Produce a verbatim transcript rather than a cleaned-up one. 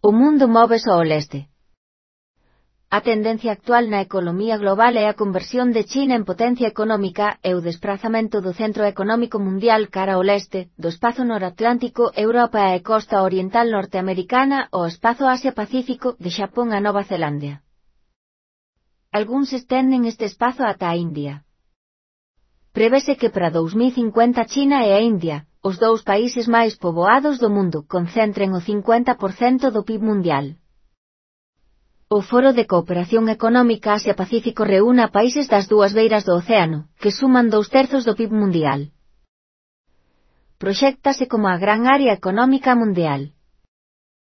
O mundo móvese ao leste. A tendencia actual na economía global é a conversión de China en potencia económica e o desprazamento do centro económico mundial cara ao leste, do espazo noratlántico, Europa e costa oriental norteamericana ao espazo Asia-Pacífico, de Xapón a Nova Zelandia. Algúns estenden este espazo ata a India. Prevese que para dous mil cincuenta China e a India, os dous países máis poboados do mundo, concentren o cincuenta por cento do P I B mundial. O Foro de Cooperación Económica Asia-Pacífico reúne a países das dúas beiras do océano, que suman dous terzos do P I B mundial. Proxéctase como a gran área económica mundial.